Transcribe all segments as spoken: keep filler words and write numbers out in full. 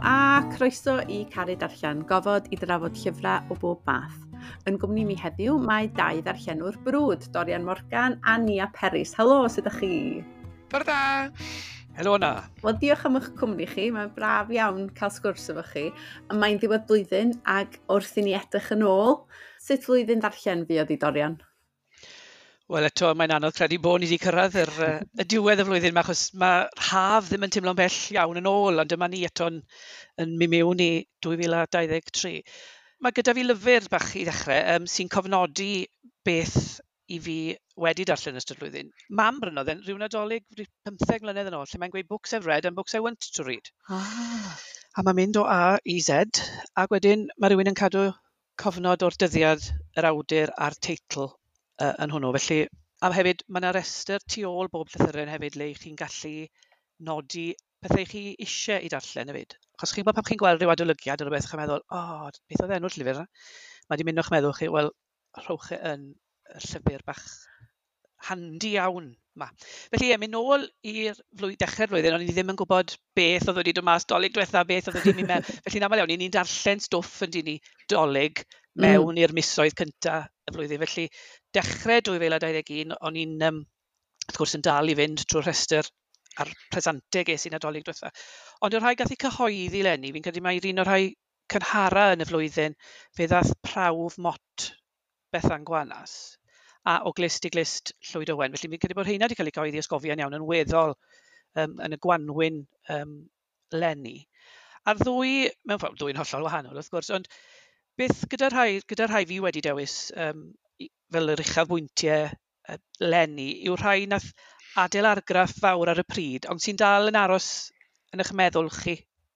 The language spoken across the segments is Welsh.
a croeso i Caru Darllen, gofod i drafod llyfrau o bob math. Yn gwmni mi heddiw mae dau ddarllenwr brwd, Dorian Morgan a Nia Peris. Helo, sut ydych chi? Bore da! Helo na. Wel, diolch am eich cwmni chi. Mae'n braf iawn cael sgwrs efo chi. Mae'n ddiwedd blwyddyn ac wrth i ni edrych yn ôl, sut flwyddyn ddarllen fuodd i Dorian? Wel eto, mae'n anodd credu bod ni wedi cyrraedd yr, y diwedd y flwyddyn yma, achos mae haf ddim yn teimlo'n bell iawn yn ôl, ond dyma ni eto'n yn mynd mewn i dwy fil a dau ddeg tri. Mae gyda fi lyfr bach i ddechrau um, sy'n cofnodi beth i fi wedi darllen ystod flwyddyn. Mam brynodd e'n rhyw Nadolig pymtheg mlynedd yn ôl, lle mae'n gweud "Books I've read and books I want to read". Ah. A mae'n mynd o A i Z, ac wedyn mae rhywun yn cadw cofnod o'r dyddiad, yr awdur a'r teitl uh, yn hwnnw. Felly, a hefyd, mae yna restr tu ôl bob llythyren hefyd le chi'n gallu nodi pethau chi eisiau i darllen hefyd. Achos chi'n gwybod pan chi'n gweld rhyw adolygiad o rhywbeth, chi'n meddwl, "O, oh, beth oedd enw'r llyfr yna?" Mae wedi mynd o'ch meddwl chi, wel, rhowch e yn y llyfr bach handi iawn ma. Felly ie, mynd nôl i'r flwy- dechrau'r flwyddyn, o'n i ddim yn gwybod beth oedd wedi dod mas Dolig diwetha, beth oedd wedi mynd mewn. Felly'n aml iawn, ni'n darllen stwff yn dyn ni Dolig mewn mm. i'r misoedd cynta y flwyddyn. Felly dechrau dwy fil a dau ddeg un, o'n i'n, um, wrth gwrs, yn dal i fynd trwy'r rhestr a'r presantau ges i Nadolig diwetha. Ond o'r rhai gath ei cyhoeddi leni, fi'n credu mai'r un o'r rhai cynhara yn y flwyddyn, fe ddath Prawf Mot Bethan Gwanas a O Glust i Glust Llwyd Owen. Felly fi'n credu bod rheina wedi cael eu cyhoeddi ysgofion iawn yn weddol um, yn y gwanwyn um, leni. A'r ddwy, mewn ffordd, ddwy'n hollol wahanol wrth gwrs, ond beth gyda rhai, gyda rhai fi wedi dewis um, fel yr uchafbwyntiau uh, leni yw'r rhai nath adael argraff fawr ar y pryd, ond sy'n dal yn aros yn eich meddwl chi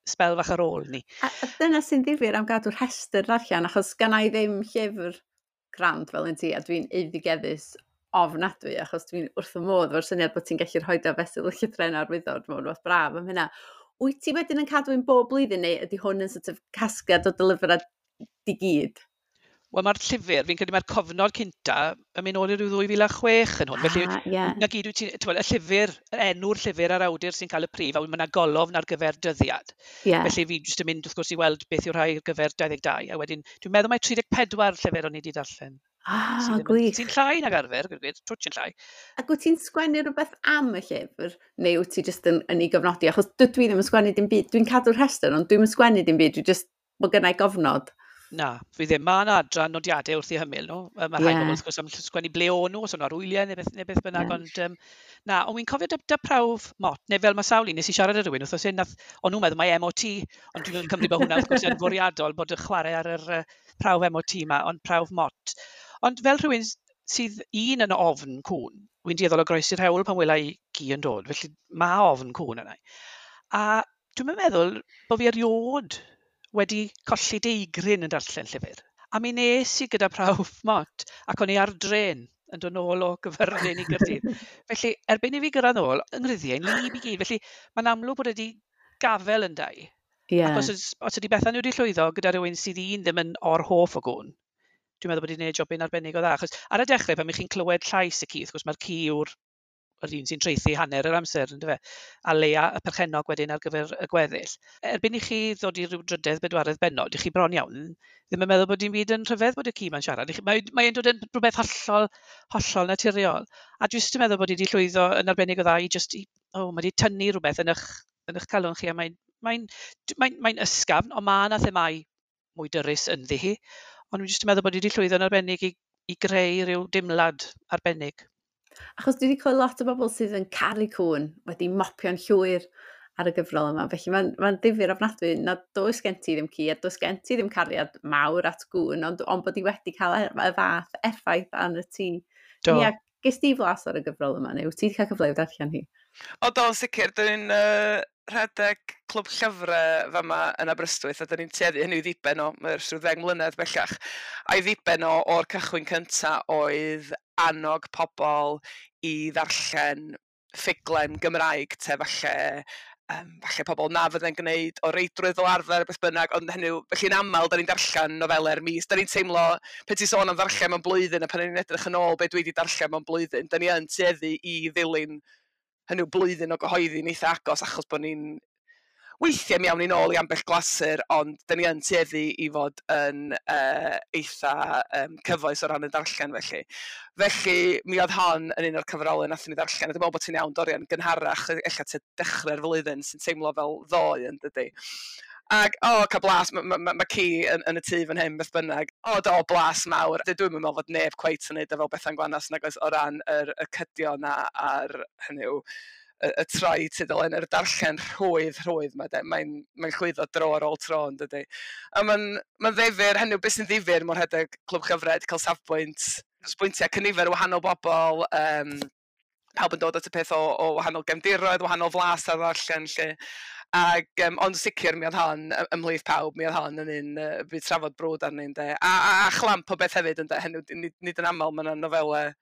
sbel fach ar ôl ni. A, a dyna sy'n ddifyr am gadw'r rhestr ddarllen, achos ganna i ddim llyfr grand fel un ti, a dwi'n eiddigeddus ofnadwy, achos dwi'n wrth y modd efo'r syniad bod ti'n gallu rhoi o fesul llythrennau ar wyddor, dwi'n meddwl, braf am hynna. Wyt ti wedyn yn cadw un bob blwyddyn, neu ydy hwn yn sort of casgliad o dy lyfrau di gyd? Wel, mae'r llyfr, fi'n credu mae'r cofnod cynta yn mynd nôl i ryw ddwy fil a chwech yn hwn. Felly, Ah, ie. na gyd wyt ti'n, t'mod, y llyfr, yr enw'r llyfr a'r awdur sy'n cael y prif, a wedyn mae yna golofn ar gyfer dyddiad. Ie. Felly fi jyst yn mynd, wrth gwrs, i weld beth yw'r rhai ar gyfer dau ddeg dau, a wedyn, dwi'n meddwl mai tri deg pedwar llyfr o'n i wedi darllen. Ah, Sydd ddim yn- gwych. Sy'n llai nag arfer, gwir gwir, twtsh yn llai. Ac wyt ti'n sgwennu rhywbeth am y llyfr, neu wyt ti jyst yn, yn ei gofnodi? Achos dydw i ddim yn sgwennu dim byd. Dwi'n cadw'r rhestr, ond dwi'm yn sgwennu dim byd. Dwi jyst bod gynna i gofnod. Na, fi ddim. Mae yna adran nodiadau wrth i hymyl nhw. Yy, Mae rhai Ie. bobl wrth gwrs am sgwennu ble o'n nhw, os o'n nhw ar wyliau neu beth, neu beth bynnag, Ie. ond um, na, ond wi'n cofio dy, dy Prawf Mot, neu fel mae sawl un, nes i siarad â rhywun wrthnos hyn, nath, o'n nhw'n meddwl mai M O T, ond dwi'n cymryd bod hwnna wrth gwrs yn fwriadol bod y chwarae ar yr uh, prawf M O T ma, ond Prawf Mot. Ond fel rhywun s- sydd un yn ofn cŵn, wi'n dueddol o groesi'r hewl pan wela i gi yn dod, felly mae ofn cŵn yna. A dwi'n meddwl bod fi erioed wedi colli deigryn yn darllen llyfr. A mi nes i gyda Prawf Mot, ac o'n i ar dren yn dod nôl o Gyfyrddin i Gaerdydd. Felly, erbyn i fi gyrraedd nôl, yng nghryddiau'n wlyb i gyd. Felly, mae'n amlwg bod wedi gafel yn dau. Ie. Ac os, oes- os ydy Bethan wedi llwyddo gyda rhywun sydd un ddim yn or-hoff o gwn, dwi'n meddwl bod wedi gwneud jobyn arbennig o dda. Achos ar y dechrau, pan chi'n clywed llais y ci, wrth gwrs mae'r ci yw'r yr un sy'n traethu hanner yr amser, yndyfe? A leia y perchennog wedyn ar gyfer y gweddill. Erbyn i chi ddod i ryw drydedd, bedwaredd bennod, i chi bron iawn ddim yn meddwl bod dim byd yn rhyfedd bod y ci ma'n siarad. I chi- Mae mae'n dod yn rhywbeth hollol, hollol naturiol. A dwi jyst yn meddwl bod hi wedi llwyddo yn arbennig o dda i jyst, i, oh, mae wedi tynnu rhywbeth yn eich, yn eich calon chi, a mae'n mae'n mae'n mae'n ysgafn, ond mae yna themâu mwy dyrys ynddi hi. Ond dwi'n jyst yn meddwl bod hi wedi llwyddo yn arbennig i, i greu rhyw dimlad arbennig. Achos dwi wedi clywed lot o bobl sydd yn caru cŵn wedi mopio'n llwyr ar y gyfrol yma. Felly mae'n mae'n ddifyr ofnadwy na does gen ti ddim ci a does gen ti ddim cariad mawr at gŵn, ond, ond bod hi wedi cael y, y fath effaith arno ti. Do. Ia, ges di flas ar y gyfrol yma, neu wyt ti wedi cael cyfle i'w darllen hi? O, do, yn sicr, dyn ni'n uh, rhedeg clwb llyfrau fama yn Aberystwyth, a dyn ni'n tueddu hynny i ddiben o, mae'r rhyw ddeg mlynedd bellach, a'i ddiben o o'r cychwyn cynta oedd annog pobl i ddarllen ffuglen Gymraeg, te falle, um, falle pobl na fydde'n gwneud o reidrwydd fel arfer, beth bynnag, ond hynny yw, felly'n aml, da ni'n darllen nofelau'r mis, da ni'n teimlo, pe ti'n sôn am ddarllen mewn blwyddyn, a pan ni'n edrych yn ôl be dwi wedi darllen mewn blwyddyn, da ni yn tueddu i ddilyn hynny yw blwyddyn o gyhoeddi'n eitha agos, achos bod ni'n Weithiau mi awn ni nôl i ambell glasur, ond dyn ni yn tueddu i fod yn uh, eitha um, cyfoes o ran y darllen felly. Felly mi oedd hon yn un o'r cyfrolau nathon ni ddarllen, a dwi'n meddwl bod ti'n iawn, Dorian, gynharach, ella tua dechrau'r flwyddyn, sy'n teimlo fel ddoe yn dydy. Ac, o, oh, cael blas, mae ma, ma, ma ci yn, yn y tŷ fan hyn, beth bynnag. O, do, blas mawr. Dwi'n meddwl fod neb cweit yn neud o fel Bethan Gwanas nag oes o ran yr, y cydio na a'r, hynny yw, y, y troi tudalen, yr darllen rhwydd, rhwydd ma de. Mae'n mae llwyddo dro ar ôl tro yn dydy. A mae'n ma ddifyr, hynny yw, beth sy'n ddifyr mor rhedeg clwb llyfrau, cael safbwynt, sbwyntiau cynifer o wahanol bobl, um, pawb yn dod at y peth o, o wahanol gefndiroedd, wahanol flas ar ddarllen lle. Ac, um, ond sicr mi oedd hon ymhlith pawb, mi oedd hon yn un uh, byd trafod brwd arni, ynde. A, a, a chlamp o beth hefyd, ynde, hynny, nid, nid yn aml mae yna nofelau,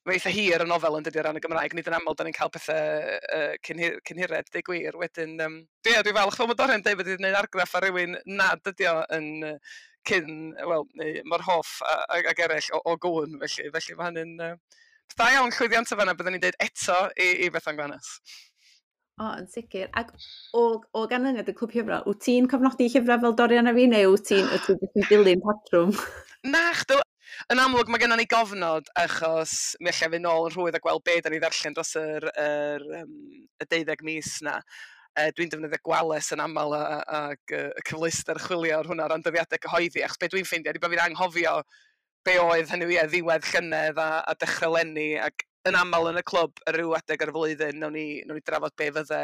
mae eitha hir y nofel yn dydy o ran y Gymraeg, nid yn aml da ni'n cael pethau uh, cyn, cyn hired, deud gwir. Wedyn, um, dwi, dwi falch fel mae Dorian dweud bod wedi gwneud argraff ar rywun nad ydi o yn cyn, wel, neu mor hoff ag eraill o, o gwn, felly, felly mae hynny'n uh, da iawn llwyddiant o fanna, byddwn ni'n dweud eto i, i Bethan Gwanas. O, yn sicr. Ac o, o ganlyniad y clwb llyfrau, wyt ti'n cofnodi llyfrau fel Dorian a fi, neu wyt ti'n wyt ti'n dilyn patrwm? Na, chdw. Yn amlwg mae gennym ni gofnod, achos mi allai fynd nôl yn rhwydd a gweld be da ni ddarllen dros yr, yr, um, y deuddeg mis na. Uh, dwi'n defnyddio Gwales yn aml ac y cyfleuster chwilio ar hwnna o ran dyddiadau cyhoeddi, achos be dwi'n ffeindio ydy bod fi'n anghofio be oedd hynny ie, ddiwedd llynedd a, a dechrau leni, ac yn aml yn y clwb ar ryw adeg ar y flwyddyn, nawn ni, nawn ni drafod be fydde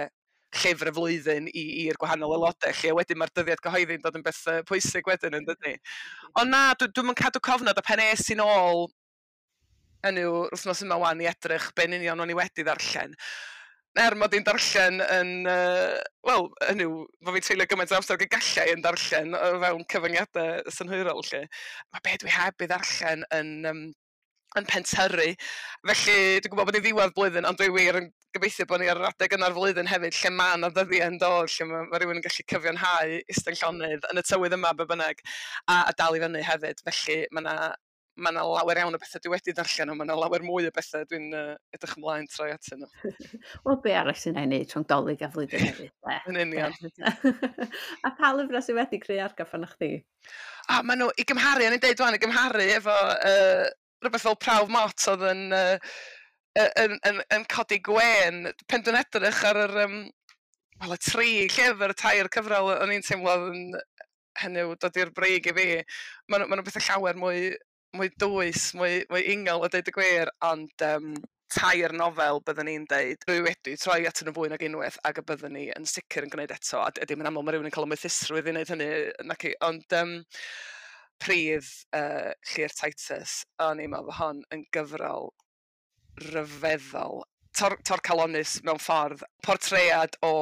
llyfr y flwyddyn i'r gwahanol aelodau, lle wedyn mae'r dyddiad cyhoeddi'n dod yn beth pwysig wedyn yn dydy. Ond na, dwi, dwi'm yn cadw cofnod, a pen es i'n ôl hynny yw, wythnos yma wan i edrych be'n union o'n i wedi ddarllen. Er mod i'n darllen yn, uh, wel, hynny yw, fo fi'n treulio gymaint o amser ag y gallai yn darllen o fewn cyfyngiadau synhwyrol, lle. Mae be dwi heb i ddarllen yn, um, yn pentyrru. Felly, dwi'n gwybod bod ni'n ddiwedd blwyddyn, ond dwi wir yn gobeithio bod ni ar yr adeg yna'r flwyddyn hefyd, lle mae yna ddyddiau yn dod, lle mae, mae rhywun yn gallu cyfiawnhau eistedd llonydd yn y tywydd yma, be bynnag, a, a dal i fyny hefyd. Felly, mae yna mae yna lawer iawn o bethau dwi wedi darllen, ond mae yna lawer mwy o bethau dwi'n uh, edrych ymlaen troi atyn nhw. Wel, be arall sy'n ei wneud rhwng Dolig a flwyddyn newydd? Yn union. A pa lyfrau sydd wedi creu argraff arnoch chdi? A maen nhw, i gymharu, o'n i'n deud wan, i gymharu efo uh, rhywbeth fel Prawf Mot oedd yn, uh, yn, yn, yn codi gwên. Pen dwi'n edrych ar yr, um, wel, y tri llyfr, y tair cyfrol, o'n i'n teimlo oedd yn hynny yw dod i'r brig i fi. Maen nhw, ma nhw bethau llawer mwy, mwy dwys, mwy, mwy ingol a deud y gwir, ond um, tair nofel byddwn ni'n deud, rwy wedi troi at nhw fwy nag unwaith ac y byddwn ni yn sicr yn gwneud eto, a dim yn aml mae rhywun yn cael y moethusrwydd i wneud hynny, naci, ond um, Pridd uh, Llŷr Titus, o'n i'n meddwl hon yn gyfrol ryfeddol, tor, torcalonnus mewn ffordd, portread o,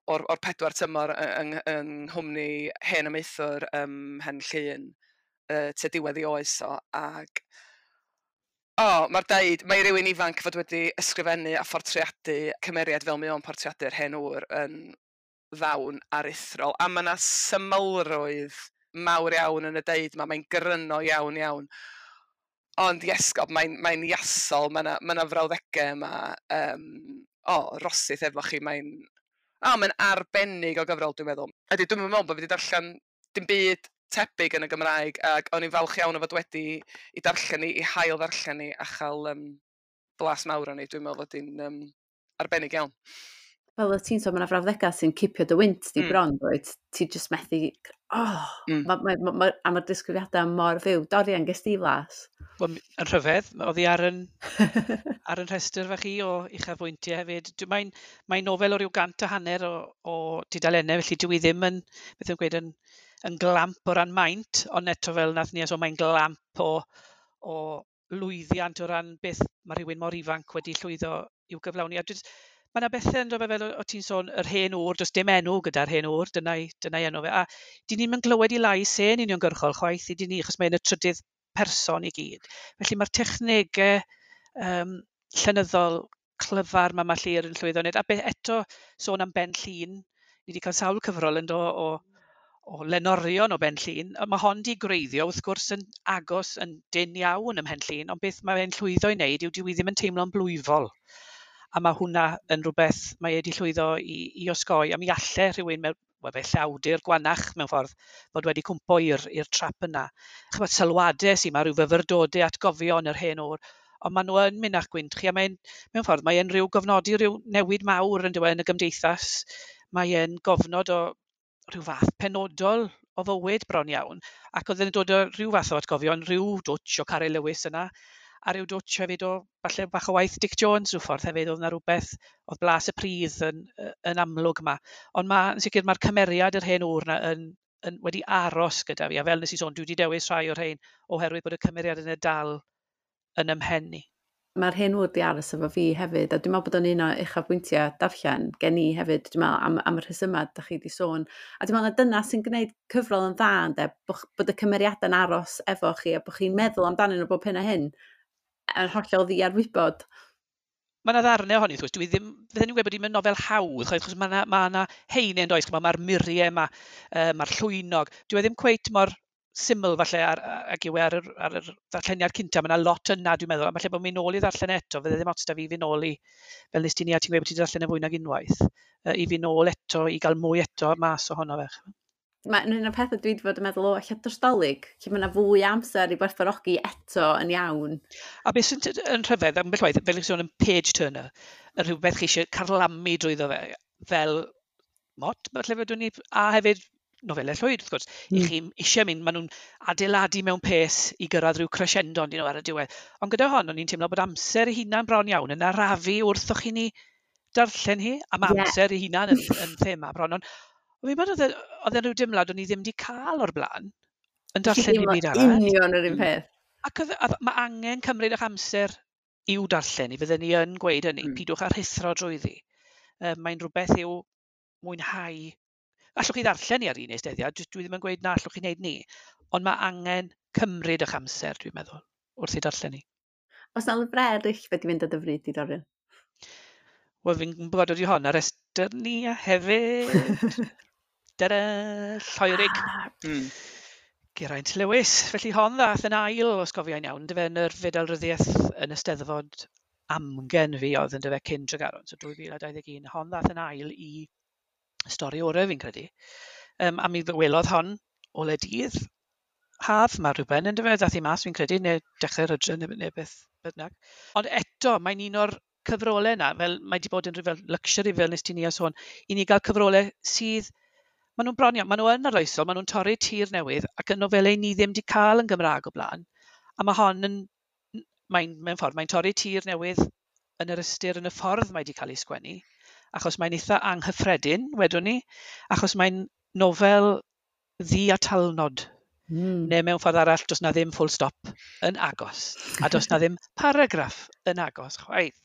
o'r, o'r pedwar tymor yng, yng nghwmni hen amaethwr ym Mhen Llŷn, uh, tua diwedd ei oes o, ac o, oh, mae'r deud, mae rhywun ifanc fod wedi ysgrifennu a phortreadu cymeriad fel mae o'n portreadu'r hen ŵr yn ddawn aruthrol, a mae yna symlrwydd mawr iawn yn y deud yma, mae'n gryno iawn iawn. Ond iesgob, mae'n mae iasol, mae yna ma frawddegau yma, um, o, oh, rosith efo chi, mae'n oh, mae'n arbennig o gyfrol, dwi'n meddwl. Ydy, dwi'n meddwl bod fi wedi darllen dim byd tebyg yn y Gymraeg, ac o'n i'n falch iawn o fod wedi i darllen ni, i hail ddarllen ni, a chael um, blas mawr o'n i. Dwi'n meddwl fod hi'n um, arbennig iawn. Fel y ti'n sôn, mae yna frawddegau sy'n cipio dy wynt di mm. bron, dweud, ti jyst methu, oh, mm. ma, ma, ma, ma, a mae'r disgrifiadau mor fyw. Dorian, ges di flas? Wel, yn rhyfedd, oedd hi ar yn, ar yn rhestr fach i o uchafbwyntiau hefyd. Mae'n mae nofel o ryw gant a hanner o, o dudalennau, felly dwi ddim yn, beth yw'n gweud, yn, yn glamp o ran maint, ond eto fel nath ni, so mae'n glamp o, o lwyddiant o ran beth mae rhywun mor ifanc wedi llwyddo i'w gyflawni. A dwi, mae yna bethau yn dod fel o ti'n sôn, yr hen ŵr, does dim enw gyda'r hen ŵr, dyna'i dyna enw fe. A dyn ni'n mynd glywed i lais e'n uniongyrchol chwaith i dyn ni, achos mae'n y trydydd person i gyd. Felly mae'r technegau um, llenyddol clyfar mae mae Llŷr yn llwyddo wneud. A beth eto sôn am Ben Llŷn, ni wedi cael sawl cyfrol yn do o, o lenorion o Ben Llŷn. Mae hon di gwreiddio wrth gwrs yn agos yn dynn iawn ym Mhen Llŷn, ond beth mae'n llwyddo i wneud yw dyw i ddim yn teimlo'n blwyfol. A mae hwnna yn rhywbeth mae e wedi llwyddo i, i osgoi, a mi alle rhywun mewn, wel, felly awdur gwanach mewn ffordd fod wedi cwmpo i'r i'r trap yna. Chymod, sylwadau sy'n ma, rhyw fyfyrdodau atgofion yr hen o'r, ond maen nhw yn mynd â'ch gwynt chi, a mae'n, mewn ffordd, mae'n rhyw gofnodi rhyw newid mawr yn dywe yn y gymdeithas. Mae e'n gofnod o rhyw fath penodol o fywyd bron iawn, ac oedd e'n dod o rhyw fath o atgofion, rhyw dwtch o Caryl Lewis yna, a rhyw dwtch hefyd o, falle bach o waith Dic Jones rhyw ffordd hefyd, oedd yna rhywbeth, oedd blas y pridd yn, yn amlwg yma. Ond ma, yn sicr mae'r cymeriad yr hen ŵr yna yn, yn wedi aros gyda fi, a fel nes i sôn, dwi wedi dewis rhai o'r rhain oherwydd bod y cymeriad yn y dal yn ymhen i. Mae'r hen ŵr di aros efo fi hefyd, a dwi'n meddwl bod o'n un o uchafbwyntiau darllen gen i hefyd, dwi'n meddwl, am, am y rhesymau da chi wedi sôn. A dwi'n meddwl na dyna sy'n gwneud cyfrol yn dda, ynde, bod, bod y cymeriadau'n aros efo chi, a bod chi'n meddwl amdanyn nhw bob hyn a hyn, yn hollol ddiarwybod. Mae yna ddarnau ohoni, wrth gwrs, dwi ddim, fydden ni'n gweud bod hi'n nofel hawdd, chwaith, achos mae yna ma 'na heine yn does, ch'mo', mae'r muriau yma, uh, mae'r llwynog. Dwi e ddim cweit mor syml falle ar, ag yw e ar yr, ar yr ddarlleniad cynta. Mae yna lot yna, dwi'n meddwl, a falle bod mi'n ôl i ddarllen eto, fydde ddim ots da fi fi nôl i, fel nes ti ni, a ti'n gweud bod ti'n darllen e fwy nag unwaith, uh, i fi nôl eto, i gael mwy eto mas ohono fe. Mae'n un o'r pethau dwi wedi bod yn meddwl, o, ella dros Dolig, lle mae yna fwy o amser i gwerthfawrogi eto yn iawn. A beth sy'n yn rhyfedd, ambell waith, fel ych sôn yn page turner, y rhywbeth chi eisiau carlamu drwyddo fe, fel mot, falle fedrwn ni, a hefyd nofelau Llwyd, wrth gwrs, mm. i chi eisiau mynd, maen nhw'n adeiladu mewn pace i gyrraedd rhyw crescendo nhw ar y diwedd. Ond gyda hon, o'n i'n teimlo bod amser ei hunan bron iawn yn arafu wrth o'ch chi ni darllen hi, a mae yeah. amser ei hunan yn, yn thema bron. Ond fi'n meddwl oedd e- oedd e'n rhyw dimlad o'n i ddim wedi cael o'r blaen yn darllen dim byd arall. Union yr un peth. Ac oedd, oedd, mae angen cymryd eich amser i'w darllen i, fydden ni yn gweud hynny, mm. pidwch â rhuthro drwyddi. Um, mae'n rhywbeth i'w mwynhau. Allwch chi ddarllen i ar un eisteddiad, dwi dwi ddim yn gweud na allwch chi wneud ni, ond mae angen cymryd eich amser, dwi'n meddwl, wrth i darllen ni. Oes na lyfrau eraill wedi mynd â dy fryd i, Dorian? Wel, fi'n gwybod ydi hon ar restr ni a hefyd. Tada, Lloerig. Ah, Mm. Geraint Lewis. Felly hon ddath yn ail, os gofiai'n iawn, yndyfe, yn yr Fedal Ryddiaeth yn y Steddfod amgen fi oedd yndyfe cyn Tregaron, so dwy fil a dau ddeg un. Hon ddath yn ail i stori orau fi'n credu. Um, a mi welodd hon o le dydd haf mae rhywben yndyfe, ddath hi mas fi'n credu, neu dechrau'r hydref neu, neu beth bynnag. Ond eto, mae'n un o'r cyfrolau yna, fel mae wedi bod yn rhyw fel luxury, fel nes ti ni a sôn, i ni gael cyfrolau sydd, maen nhw'n bron iawn, maen nhw yn arloesol, maen nhw'n torri tir newydd, ac yn nofelau ni ddim wedi cael yn Gymraeg o blaen. A mae hon yn, mae'n, mewn ffordd, mae'n torri tir newydd yn yr ystyr yn y ffordd mae wedi cael ei sgwennu, achos mae'n eitha anghyffredin, wedwn ni, achos mae'n nofel ddi-atalnod. Mm. Neu mewn ffordd arall, does na ddim full stop yn agos, a does na ddim paragraff yn agos chwaith.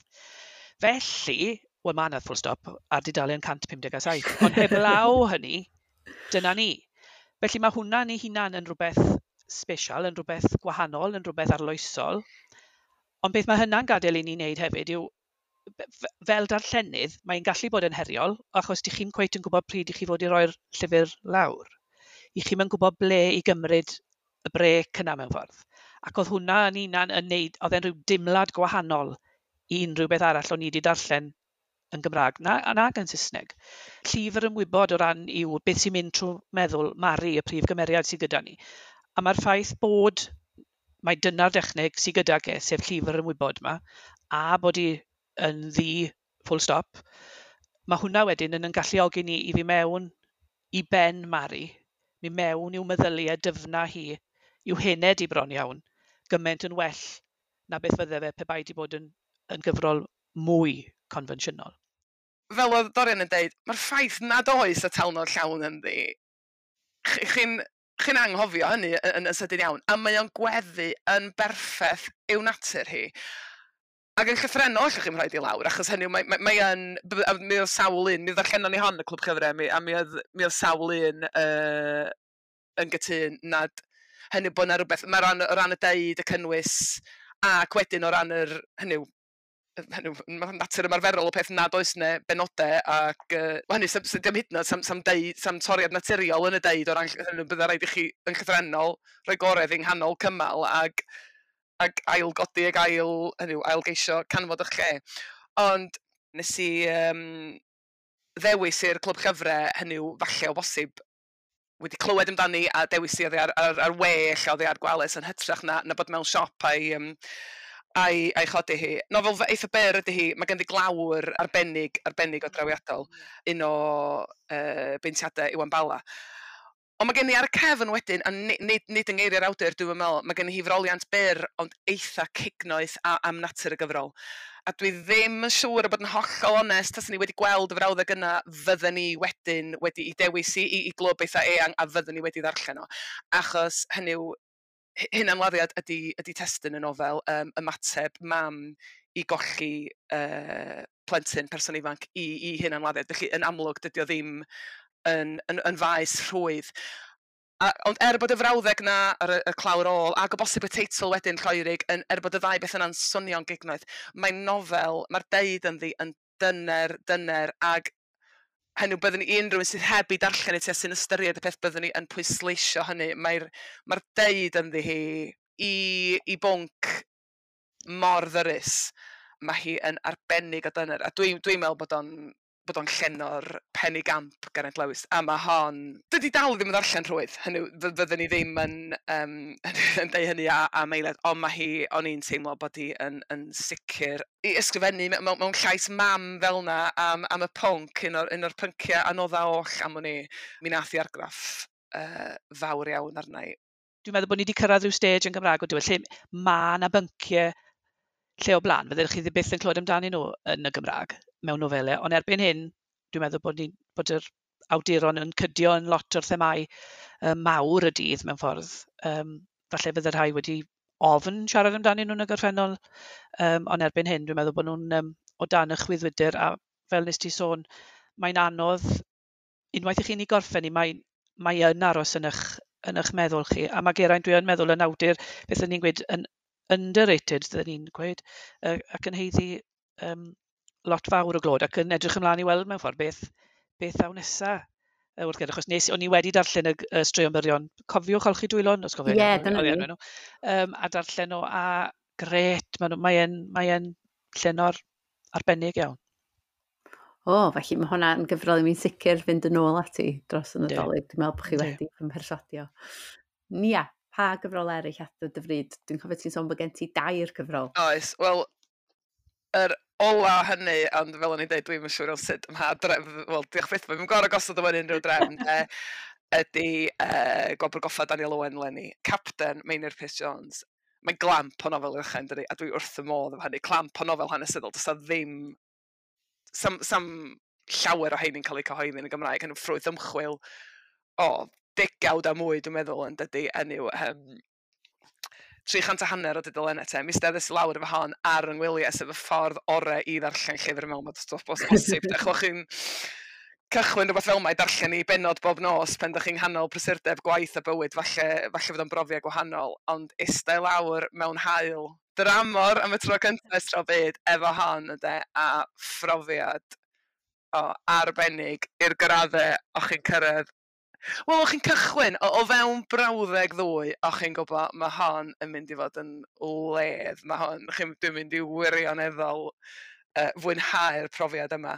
Felly, wel mae yna full stop ar dudalen cant pum deg a saith, ond heblaw hynny, dyna ni. Felly mae hwnna yn ei hunan yn rhywbeth special, yn rhywbeth gwahanol, yn rhywbeth arloesol. Ond beth mae hynna'n gadael i ni wneud hefyd yw, f-, fel darllenydd, mae'n gallu bod yn heriol, achos dych chi'n cweit yn gwybod pryd i chi fod i roi'r llyfr lawr. I chi'm yn gwybod ble i gymryd y brêc yna mewn ffordd. Ac oedd hwnna yn hunan yn neud, oedd e'n rhyw dimlad gwahanol i unrhyw beth arall o'n i wedi darllen yn Gymraeg, na, nag yn Saesneg. Llyfr ymwybod o ran yw beth sy'n mynd trwy meddwl Mari, y prif gymeriad sydd gyda ni. A mae'r ffaith bod mae dyna'r dechneg sydd gydag e, sef llyfr ymwybod yma, a bod hi yn ddi full stop, mae hwnna wedyn yn yn galluogi ni i fi mewn i ben Mari, mi mewn i'w meddyliau dyfna hi, i'w hened i bron iawn, gymaint yn well na beth fydde fe pe bai di bod yn, yn gyfrol mwy confensiynol. Fel oedd Dorian yn deud, mae'r ffaith nad oes atalnod llawn ynddi, chi-, chi'n, chi'n anghofio hynny yn, yn, yn sydyn iawn, a mae o'n gweddu yn berffaith i'w natur hi. Ac yn llythrennol, allwch chi'm rhoid i lawr, achos hynny yw, mae, mae, mae yn, b-, a mi oedd sawl un, mi ddarllenon ni hon y Clwb Llyfrau, mi, a mi oedd, mi oedd sawl un, yy, yn gytûn nad hynny bod 'na rywbeth, mae o ran, o ran y deud, y cynnwys, ac wedyn o ran yr, hynny yw, hynny yw, ma' natur ymarferol o peth nad oes 'na benodau, ac, yy, wel, hynny, sam, sam, dim hyd yn oed, sam, sam deud, sam toriad naturiol yn y deud o ran ll-, hynny yw, bydda raid i chi yn llythrennol rhoi gorau yng nghanol cymal ag, ag ailgodi ag ail, hynny yw, ailgeisio canfod eich lle. Ond Nes i um, ddewis i'r clwb llyfrau, hynny yw falle o bosib wedi clywed amdani a dewis i oddi ar, ar, ar we, lle oddi ar Gwales yn hytrach na, na bod mewn siop a'i, um, a'i, a'i chodi hi. Nofel eitha byr ydy hi, mae ganddi glawr arbennig, arbennig o drawiadol, un o uh, beintiadau Iwan Bala. Ond mae gen i ar y cefn wedyn, a nid, nid, nid yng ngeiriau'r awdur, dwi'n meddwl, mae gen i hi froliant byr, ond eitha cignoeth a, am natur y gyfrol. A dwi ddim yn siŵr o bod yn hollol onest, taswn ni wedi gweld y frawddeg yna, fydden ni wedyn wedi i dewis i, i, i glwb eitha eang, a fydden ni wedi ddarllen o. Achos hynny yw, hunanladdiad ydy, ydy testun y nofel, um, ymateb mam i golli uh, plentyn, person ifanc, i, i hunanladdiad. Felly, yn amlwg, dydy o ddim yn, yn, yn faes rhwydd. A, ond er bod y frawddeg na ar y, y clawr ôl, ac o bosib y teitl wedyn Lloerig, yn, er bod y ddau beth yna'n swnio'n gignoeth, mae'n nofel, mae'r deud ynddi yn dyner, dyner, ag hynny yw byddwn ni unrhyw un sydd heb i darllen i ti a sy'n ystyried y peth byddwn ni yn pwysleisio hynny. Mae'r mae'r deud ynddi hi i, i bwnc mor ddyrus. Mae hi yn arbennig o dyner. A dwi'n dwi meddwl bod o'n bod o'n llenor penigamp Geraint Lewis. A mae hon... Dydy dal ddim yn ddarllen rhwydd. Hynny, fyddwn ni ddim yn, um, yn deud hynny a, am eiliad, ond mae hi, o'n i'n teimlo bod hi yn, yn sicr i ysgrifennu mewn, mewn llais mam fel na am, am y pwnc, un o'r, un o'r pynciau anodda oll am o'n i. Mi nath i argraff uh, fawr iawn arna i. Dwi'n meddwl bod ni wedi cyrraedd rhyw stage yn Gymraeg o diwedd, lle mae yna bynciau lle o blaen, fyddech chi ddim byth yn clywed amdanyn nhw yn y Gymraeg mewn nofelau, ond erbyn hyn, dwi'n meddwl bod, ni, bod yr awduron yn cydio yn lot o'r themâu uh, mawr y dydd mewn ffordd. Um, falle fydde rhai wedi ofn siarad amdanyn nhw'n y gorffennol, um, ond erbyn hyn, dwi'n meddwl bod nhw'n um, o dan y chwyddwydr, a fel nes ti sôn, mae'n anodd, unwaith i chi'n ei gorffen i, mae, mae yn aros yn eich, yn eich meddwl chi, a mae Geraint, dwi yn meddwl, yn awdur, beth ydyn ni'n gweud, yn underrated, dyn ni'n gweud, uh, ac yn haeddu um, lot fawr o glod, ac yn edrych ymlaen i weld mewn ffordd beth, beth ddaw nesa wrth gyda, achos nes, o'n i wedi darllen y, y straeon byrion, cofiwch olchi dwylon, os cofio. Ie, yeah, dyna ni. Nhw, um, a darllen nhw, a gret, mae mae'n mae llenor arbennig iawn. O, oh, felly mae hwnna yn gyfrol i mi'n sicr fynd yn ôl ati dros y Nadolig. Dwi'n meddwl bod chi wedi fy mherswadio. Nia, pa gyfrol eraill at dy fryd? Dwi'n cofio ti'n sôn bod gen ti dair cyfrol. Oes, wel, yr ola hynny, ond fel o'n i'n dweud, dwi'm yn siŵr o sut ym mha drefn, wel, diolch byth, dwi'n gorfod gosod o mewn unrhyw drefn, de, ydy uh, Gwobr Goffa Daniel Owen leni. Capten Meinir Pierce Jones. Mae'n glamp o nofel i ddechrau, yn dydi, a dwi wrth y modd efo hynny. Clamp o nofel hanesyddol, does 'na ddim, sam, sam llawer o heini'n cael eu cyhoeddi yn y Gymraeg, yn ffrwyth ymchwil o degawd a mwy, dwi'n meddwl, yn dydi, enw, um, tri chant a hanner o dudalennau te. Mi steddais i lawr efo hon ar yng ngwyliau, sef y ffordd orau i ddarllen llyfr mewn bod os bosib. Dech chi'n cychwyn rhywbeth fel mae darllen i benod bob nos pan ydych chi'n nghanol prysurdeb gwaith a bywyd, falle, falle fydd o'n brofiad gwahanol, ond eistedd lawr mewn haul dramor am y tro cyntaf ers tro byd efo hon, ynde, a phrofiad o, arbennig i'r graddau o'ch chi'n cyrraedd. Wel, o'ch chi'n cychwyn, o, o fewn brawddeg ddwy, o'ch chi'n gwybod, mae hon yn mynd i fod yn wledd. Mae hon, chi'n, dwi'n mynd i wirioneddol uh, fwynhau'r profiad yma.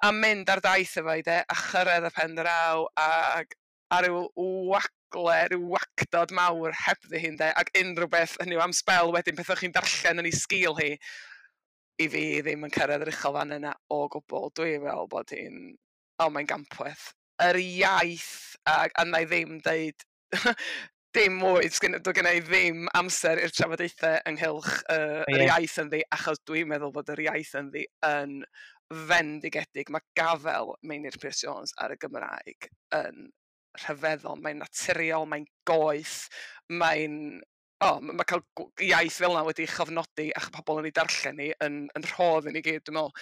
A mynd ar daith efo i de, a chyrraedd y pen draw, ag a ryw wagle, ryw wacdod mawr hebddi hi'n de, ac unrhyw beth, hynny yw am sbel wedyn, peth o'ch chi'n darllen yn ei sgil hi, i fi ddim yn cyrraedd yr uchel fan yna o gwbl. Dwi'n meddwl bod hi'n, o, mae'n gampwaith. Yr iaith, a, a na i ddim deud dim mwy, dwi gen i ddim amser i'r trafodaethau ynghylch uh, yr iaith ynddi, achos dwi'n meddwl bod yr iaith ynddi yn fendigedig. Mae gafel Meinir Pierce Jones ar y Gymraeg yn rhyfeddol, mae'n naturiol, mae'n goeth, mae'n... O, oh, mae cael iaith fel yna wedi chofnodi a pobl yn ei darllen ni yn, yn rhodd i ni gyd, dwi'n meddwl.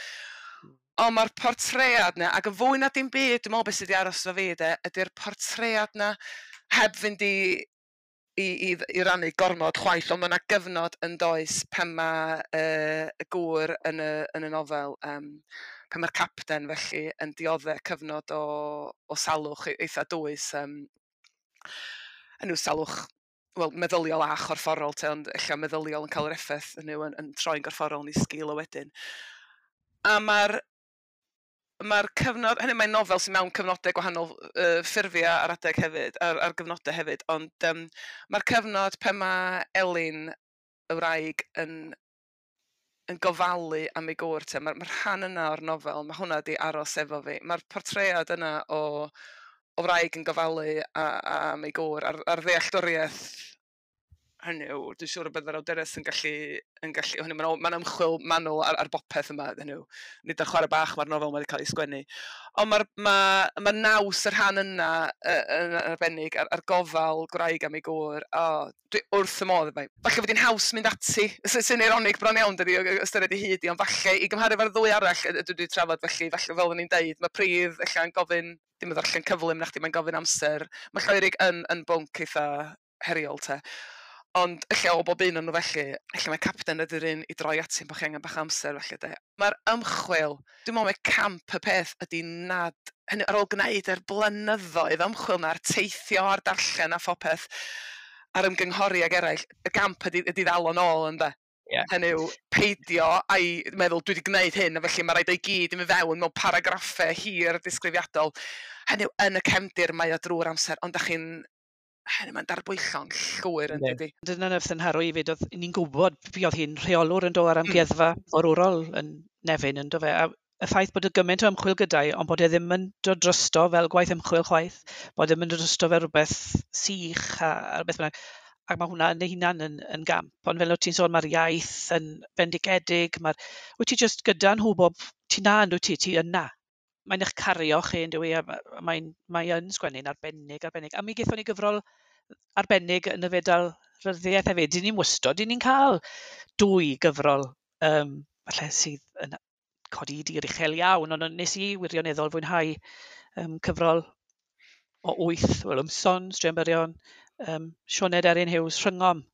Ond mae'r portread na, ac yn fwy na dim byd, dwi'n meddwl beth sydd wedi aros efo fi, de, ydy'r portread na, heb fynd i, i, i, i rannu gormod chwaith, ond mae yna gyfnod yn does pan mae uh, y gŵr yn y, yn y nofel, um, pan mae'r capten felly yn dioddef cyfnod o, o salwch eitha dwys, um, yn yw salwch, wel, meddyliol a chorfforol, te, ond ella meddyliol yn cael yr effaith, hynny yw, yn, yn troi'n gorfforol yn ei sgil o wedyn. A mae'r mae'r cyfnod, hynny mae'n nofel sy'n mewn cyfnodau gwahanol uh, ffurfiau ar adeg hefyd, ar, ar gyfnodau hefyd, ond um, mae'r cyfnod pan mae Elin y wraig yn, yn gofalu am ei gŵr te, mae'r ma rhan yna o'r nofel, mae hwnna di aros efo fi. Mae'r portread yna o, o wraig yn gofalu a, a, am ei gŵr, a'r, a'r ddealltwriaeth hynny yw, dwi'n siŵr y bydd yr awdures yn gallu, yn gallu hynny, mae'n ma ymchwil manwl ar, ar bopeth yma, hynny yw, nid ar chwarae bach mae'r nofel wedi cael ei sgwennu. Ond mae'r ma, ma naws y rhan yna yn arbennig, ar, ar gofal gwraig am ei gŵr, o, dwi wrth y modd efo. Falle fod hi'n haws mynd ati, sy'n eironig bron iawn, dydi, ystyried i hyd i, ond falle i gymharu efo'r ddwy arall dwi wedi trafod, felly, falle fel o'n i'n deud, mae pridd ella'n gofyn, dim yn ddarllen cyflym na chdi, mae'n gofyn amser. Mae lloerig yn, yn bwnc eitha heriol te. Ond ella o bob un o'n nhw felly, ella mae Capten ydy'r un i droi ati bod chi angen bach amser felly de. Mae'r ymchwil, dwi'n meddwl mae camp y peth ydy nad, hynny ar ôl gwneud yr blynyddoedd ymchwil na'r teithio a'r darllen a phopeth, a'r ymgynghori ag eraill, y gamp ydy, ydy ddal o'n ôl ynde. Yeah. Hynny yw, peidio a'i meddwl dwi wedi gwneud hyn, a felly mae rhaid o'i gyd i mynd fewn mewn paragraffau hir disgrifiadol. Hynny yw, yn y cefndir mae o drwy'r amser, ond da chi'n hynny mae'n darbwyllo'n llwyr yn dydi. Dyna nath yn nharo i fyd, oedd ni'n gwybod fi oedd hi'n rheolwr yn do ar amgueddfa forwrol yn Nefyn yn do fe, a y ffaith bod y gymaint o ymchwil gyda'i, ond bod e ddim yn dod drosto fel gwaith ymchwil chwaith, bod e ddim yn dod drosto fel rhywbeth sych a, a rhywbeth bynnag. Ac mae hwnna yn ei hunan yn, yn gamp. Ond fel o't ti'n sôn, mae'r iaith yn bendigedig, mae'r... Wyt ti jyst gyda nhw bob... Ti na, yn dwyt ti, ti yna. Mae'n eich cario chi, yn dywi, a mae'n mae yn sgwennu'n arbennig, arbennig. A mi gaethon ni gyfrol arbennig yn y fedal ryddiaeth hefyd. Dyn ni'n wystod, dyn ni'n cael dwy gyfrol, um, falle sydd yn codi dir uchel iawn, ond nes i wirioneddol fwynhau um, cyfrol o wyth, wel, ymson, straeon byrion, um, Sioned Erin Hughes, Rhyngom,